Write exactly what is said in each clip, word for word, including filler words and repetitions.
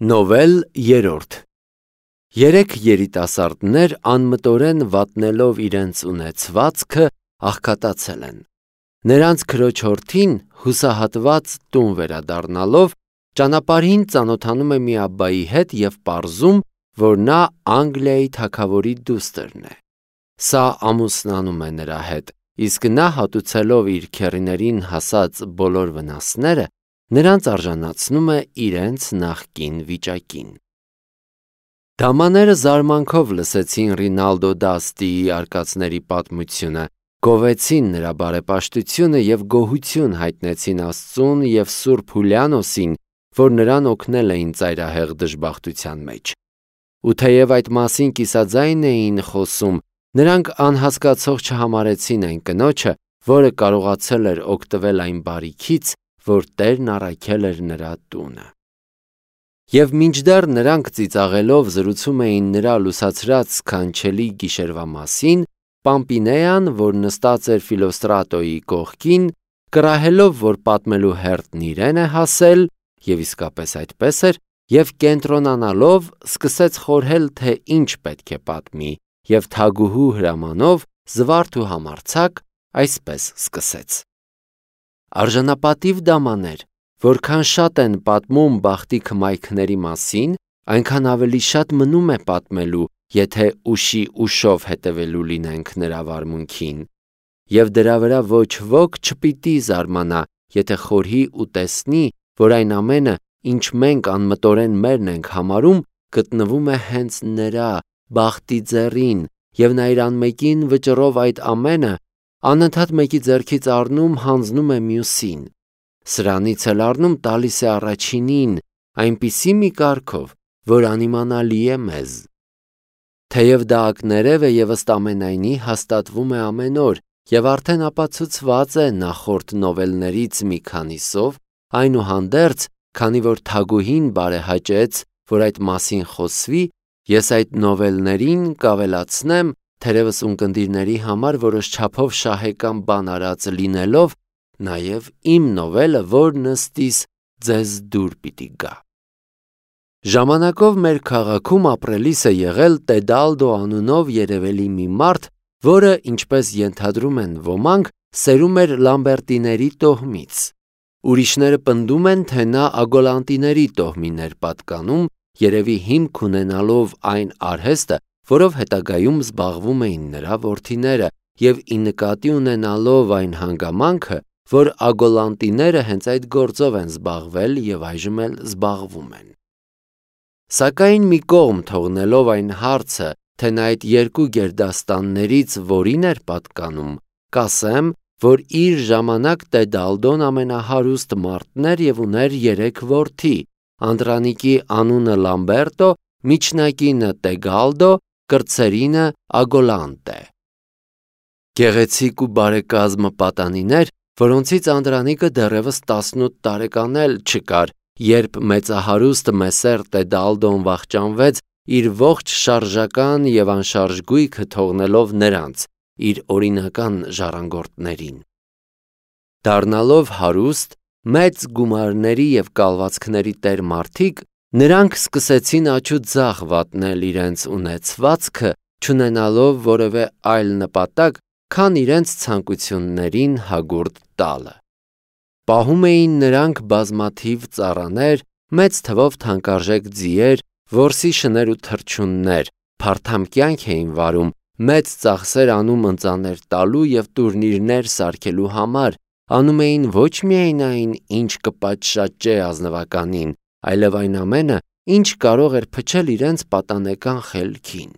Նովել երրորդ Երեք երիտասարդներ անմտորեն վատնելով իրենց ունեցվածքը աղքատացել են։ Նրանց քրոջորդին հուսահատված տուն վերադառնալով ճանապարհին ծանոթանում է մի աբբայի հետ և պարզում, որ նա Անգլիայի թագավորի դուստրն է։ Սա ամուսնանում է նրա հետ, իսկ նա հատուցելով իր քեռիներին հասած բոլոր վնասները, նրանց արժանացնում է իրենց նախկին վիճակին։ Դամաները զարմանքով լսեցին Ռինալդո d'Astiի արկածների պատմությունը, գովեցին նրա բարեպաշտությունը և գոհություն հայտնեցին Աստծուն և Սուրբ Հուլիանոսին, որ նրան օգնել էին ծայրահեղ դժբախտության մեջ։ Ու թեև այդ մասին կիսաձայն էին խոսում, նրանք անհասկացող չհամարեցին այն կնոջը, որը կարողացել էր օգտվել այն բարիքից, որ Տերն առաքել էր նրա տունը։ Եվ մինչդեռ նրանք ծիծաղելով զրուցում էին նրա լուսացրած սքանչելի գիշերվա մասին, Պամպինեան, որ նստած էր Ֆիլոստրատոյի կողքին, կռահելով, որ պատմելու հերթն իրեն է հասել, և իսկապես այդպես էր, և կենտրոնանալով սկսեց խորհել, թե ինչ պետք է պատմի, և թագուհու հրամանով զվարթ ու համարձակ այսպես սկսեց. Արժանապատիվ դամաներ, որքան շատ են պատմում բախտի քմայքների մասին, այնքան ավելի շատ մնում է պատմելու, եթե ուշի ուշով հետևելու լինենք նրա վարմունքին, և դրա վրա ոչ ոք չպիտի զարմանա, եթե խորհի ու տեսնի, որ այն ամենը, ինչ մենք անմտորեն մերն ենք համարում, գտնվում է հենց նրա բախտի ձեռին, և նա իր անմեկին վճռով այդ ամենը անընդհատ մեկի ձեռքից առնում հանձնում է մյուսին, սրանից էլ առնում տալիս է առաջինին, այնպիսի մի կարգով, որ անիմանալի է մեզ։ Թեև դա ակներև է և ըստ ամենայնի հաստատվում է ամեն օր և արդեն ապացուցված է նախորդ նովելներից մի քանիսով, այնուհանդերձ, քանի որ թագուհին բարեհաճեց, որ այդ մասին խոսվի, ես այդ նովելներին կավելացնեմ, թերևս ունկնդիրների համար որոշ չափով շահեկան բան արած լինելով, նաև իմ նովելը, որն ըստիս ձեզ դուր պիտի գա։ Ժամանակով մեր քաղաքում ապրելիս է եղել Տեդալդո անունով երևելի մի մարդ, որը, ինչպես ենթադրում են ոմանք, սերում էր Լամբերտիների տոհմից։ Ուրիշները պնդում են, թե նա Ագոլանտիների տոհմին էր պատկանում, երևի հիմք ունենալով այն արհեստը, որով հետագայում զբաղվում էին նրա որդիները, և ի նկատի ունենալով այն հանգամանքը, որ Ագոլանտիները հենց այդ գործով են զբաղվել և այժմ էլ զբաղվում են։ Սակայն մի կողմ թողնելով այն հարցը, թե նա այդ երկու գերդաստաններից որին էր պատկանում, կասեմ, որ իր ժամանակ Տեդալդոն ամենահարուստ մարդն էր և ուներ երեք որդի, անդրանիկի անունը Լամբերտո, միջնակինը Տեգալդո, կրտսերինը Ագոլանտե։ Գեղեցիկ ու բարեկազմ պատանիներ, որոնցից անդրանիկը դեռևս տասնութ տարեկան էլ չկար, երբ մեծահարուստ Մեսեր Տեդալդոն վախճանվեց իր ողջ շարժական և անշարժ գույքը թողնելով նրանց, իր օրինական ժառանգորդներին։ Դառնալով հարուստ, մեծ գումարների և կալվածքների տեր մարդիկ, նրանք սկսեցին աջուձախ վատնել իրենց ունեցվածքը, չունենալով որևէ այլ նպատակ, քան իրենց ցանկություններին հագուրդ տալը։ Պահում էին նրանք բազմաթիվ ծառաներ, մեծ թվով թանկարժեք ձիեր, որսի շներ ու թռչուններ, փարթամ կյանք էին վարում, մեծ ծախսեր անում ընծաներ տալու և տուրնիրներ սարքելու համար, անում էին ոչ միայն այն, ինչ կպատշաճե ազնվականին, այլև այն ամենը, ինչ կարող էր փչել իրենց պատանեկան խելքին։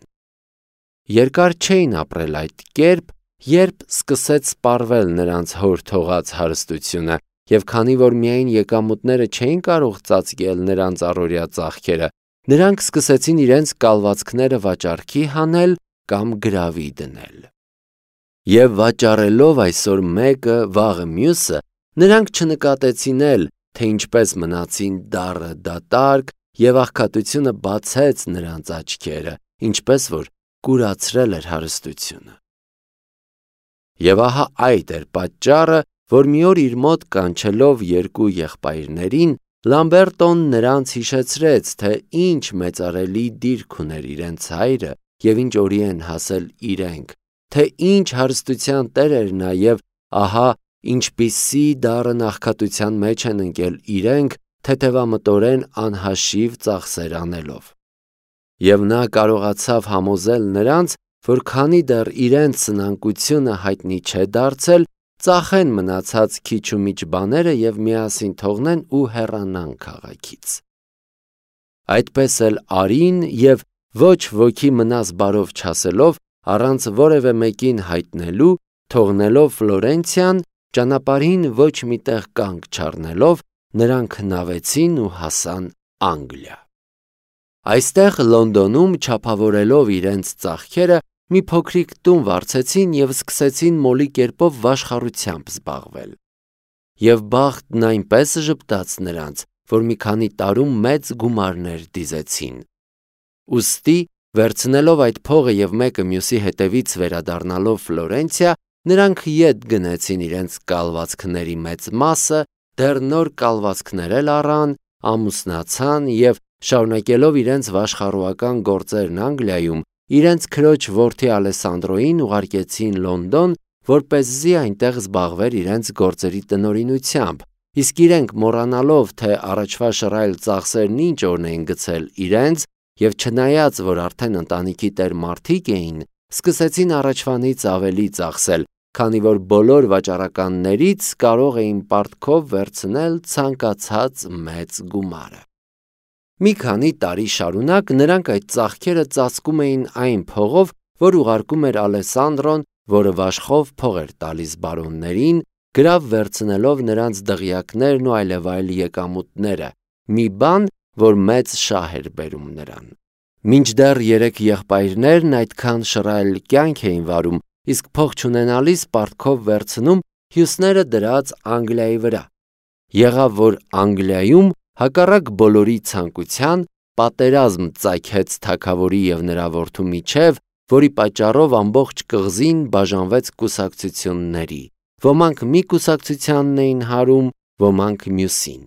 Երկար չէին ապրել այդ կերպ, երբ սկսեց սպառվել նրանց հոր թողած հարստությունը, և քանի որ միայն եկամուտները չէին կարող ծածկել նրանց առօրյա ծախքերը, նրանք սկսեցին իրենց կալվածքները վաճառքի հանել կամ գրավի դնել։ Եվ վաճառելով այսօր մեկը, վաղը մյուսը, նրանք չնկատեցին էլ, թե ինչպես մնացին դառը դատարկ, և աղքատությունը բացեց նրանց աչքերը, ինչպես որ կուրացրել էր հարստությունը։ Եվ ահա այդ էր պատճառը, որ մի օր իր մոտ կանչելով երկու եղբայրներին, Լամբերտոն նրանց հիշեցրեց, թե ինչ մեծարելի դիրք ուներ իրենց հայրը և ինչ օրի են հասել իրենք, թե ինչ հարստության տեր էր նա և ահա ինչպիսի դառն աղքատության մեջ են ընկել իրենք, թեթևամտորեն անհաշիվ ծախսեր անելով։ Եվ նա կարողացավ համոզել նրանց, որ քանի դեռ իրենց սնանկությունը հայտնի չէ դարձել, ծախեն մնացած քիչ ու միչ բաները և միասին թողնեն ու հեռանան քաղաքից։ Այդպես էլ արին և ոչ ոքի մնաս բարով չասելով, առանց որևէ մեկին հայտնելու, թողնելով Ֆլորենցիան, ճանապարհին ոչ մի տեղ կանգ չառնելով, նրանք հնավեցին ու հասան Անգլիա։ Այստեղ Լոնդոնում չափավորելով իրենց ծախքերը, մի փոքրիկ տուն վարձեցին և սկսեցին մոլի կերպով վաշխառությամբ զբաղվել։ Եվ բախտն այնպես ժպտաց նրանց, որ մի քանի տարում մեծ գումարներ դիզեցին։ Ուստի, վերցնելով այդ փողը և մեկը մյուսի հետևից վերադառնալով Ֆլորենցիա, նրանք ետ գնեցին իրենց կալվածքների մեծ մասը, դեռ նոր կալվածքներ էլ առան, ամուսնացան և, շարունակելով իրենց վաշխառուական գործերն Անգլիայում, իրենց քրոջ որդի Ալեսանդրոին ուղարկեցին Լոնդոն, որպեսզի այնտեղ զբաղվեր իրենց գործերի տնօրինությամբ, իսկ իրենք մոռանալով, թե առաջվա շռայլ ծախսերն ինչ օրն էին գցել իրենց, և չնայած, որ արդեն ընտանիքի տեր մարդիկ էին, սկսեցին առաջվանից ավելի ծախսել, քանի որ բոլոր վաճառականներից կարող էին պարտքով վերցնել ցանկացած մեծ գումարը։ Մի քանի տարի շարունակ նրանք այդ ծախքերը ծածկում էին այն փողով, որ ուղարկում էր Ալեսանդրոն, որը վաշխով փող էր տալիս բարոններին, գրավ վերցնելով նրանց դղյակներն ու այլևայլ եկամուտները, մի բան, որ մեծ շահ էր բերում նրան։ Մինչդեռ երեք եղբայրներն այդքան շռայլ կյանք էին վարում, իսկ փող չունենալիս պարտքով վերցնում, հյուսները դրած Անգլիայի վրա։ Եղավ, որ Անգլիայում, հակառակ բոլորի ցանկության, պատերազմ ծագեց թագավորի և նրա որդու միջև, որի պատճառով ամբողջ կղզին բաժանվեց կուսակցությունների, ոմանք մի կուսակցությանն էին հարում, ոմանք մյուսին։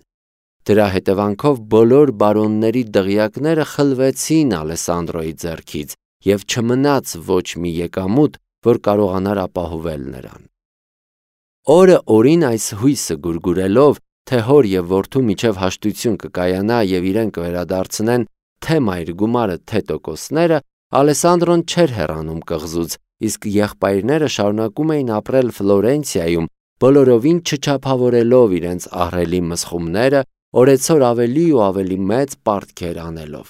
Դրա հետևանքով բոլոր բարոնների դղյակները խլվեցին Ալեսանդրոյի ձեռքից և չմնաց ոչ մի եկամուտ, որ կարողանար ապահովել նրան։ Օրը օրին այս հույսը գուրգուրելով, թե հոր և որդու միջև հաշտություն կկայանա և իրենք կվերադարձնեն թե մայր գումարը, թե տոկոսները, Ալեսանդրոն չէր հեռանում կղզուց, իսկ եղբայրները շարունակում էին ապրել Ֆլորենցիայում, բոլորովին չչափավորելով իրենց ահռելի մսխումները, օրեցօր ավելի ու ավելի մեծ պարտքեր անելով։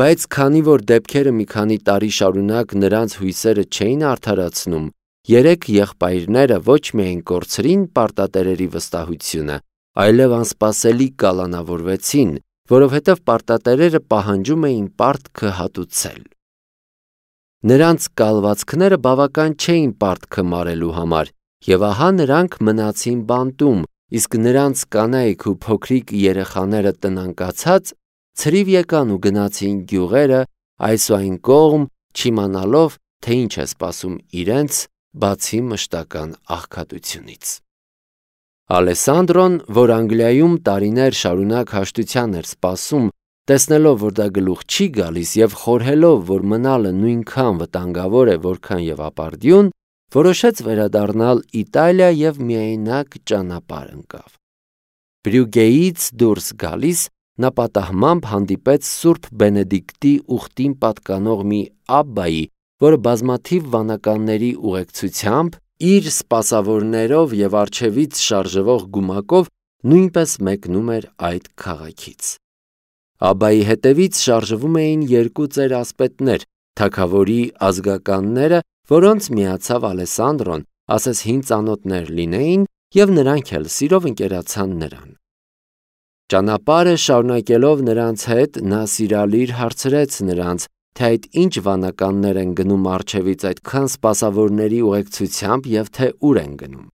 Բայց քանի որ դեպքերը մի քանի տարի շարունակ նրանց հույսերը չէին արդարացնում, երեք եղբայրները ոչ միայն կորցրին պարտատերերի վստահությունը, այլև անսպասելի կալանավորվեցին, որովհետև պարտատերերը պահանջում էին պարտքը հատուցել։ Նրանց կալվածքները բավական չէին պարտքը մարելու համար, և ահա նրանք մնացին բանտում, իսկ նրանց կանայք ու փոքրիկ երեխաները տնանկացած, ցրիվ եկան ու գնացին գյուղերը այս ու այն կողմ, չիմանալով, թե ինչ է սպասում իրենց, բացի մշտական աղքատությունից։ Ալեսանդրոն, որ Անգլիայում տարիներ շարունակ հաշտության էր սպասում, տեսնելով, որ դա գլուխ չի գալիս և խորհելով, որ մնալը նույնքան վտանգավոր է, որքան և ապարդյուն, որոշեց վերադառնալ Իտալիա և միայնակ ճանապարհ ընկավ։ Բրյուգեից դուրս գալիս, նա պատահմամբ հանդիպեց Սուրբ Բենեդիկտի ուխտին պատկանող մի աբբայի, որը բազմաթիվ վանականների ուղեկցությամբ, իր սպասավորներով և առջևից շարժվող գումակով նույնպես մեկնում էր այդ քաղաքից։ Աբբայի հետևից շարժվում էին երկու ծեր-ասպետներ, թագավորի ազգականները, որոնց միացավ Ալեսանդրոն, ասես հին ծանոթներ լինեին, և նրանք էլ սիրով ընկերացան նրան։ Ճանապարհը շարունակելով նրանց հետ, նա սիրալիր հարցրեց նրանց, թե այդ ինչ վանականներ են գնում առջևից այդքան սպասավորների ուղեկցությամբ և թե ուր են գնում։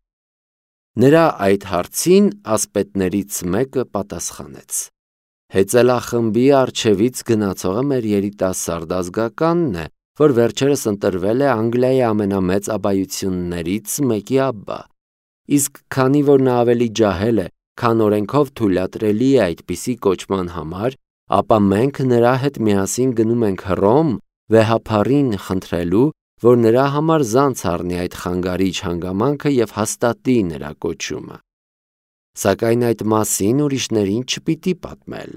Նրա այդ հարցին ասպետներից մեկը պատասխանեց. Հեծելախմբի առջևից գնացողը մեր երիտասարդ ազգականն է, որ վերջերս ընտրվել է Անգլիայի ամենամեծ աբբայություններից մեկի աբբա, իսկ քանի որ նա ավելի ջահել է, քան օրենքով թույլատրելի է այդպիսի կոչման համար, ապա մենք նրա հետ միասին գնում ենք Հռոմ վեհափառին խնդրելու, որ նրա համար զանց առնի այդ խանգարիչ հանգամանքը և հաստատի նրա կոչումը։ Սակայն այդ մասին ուրիշներին չպիտի պատմել։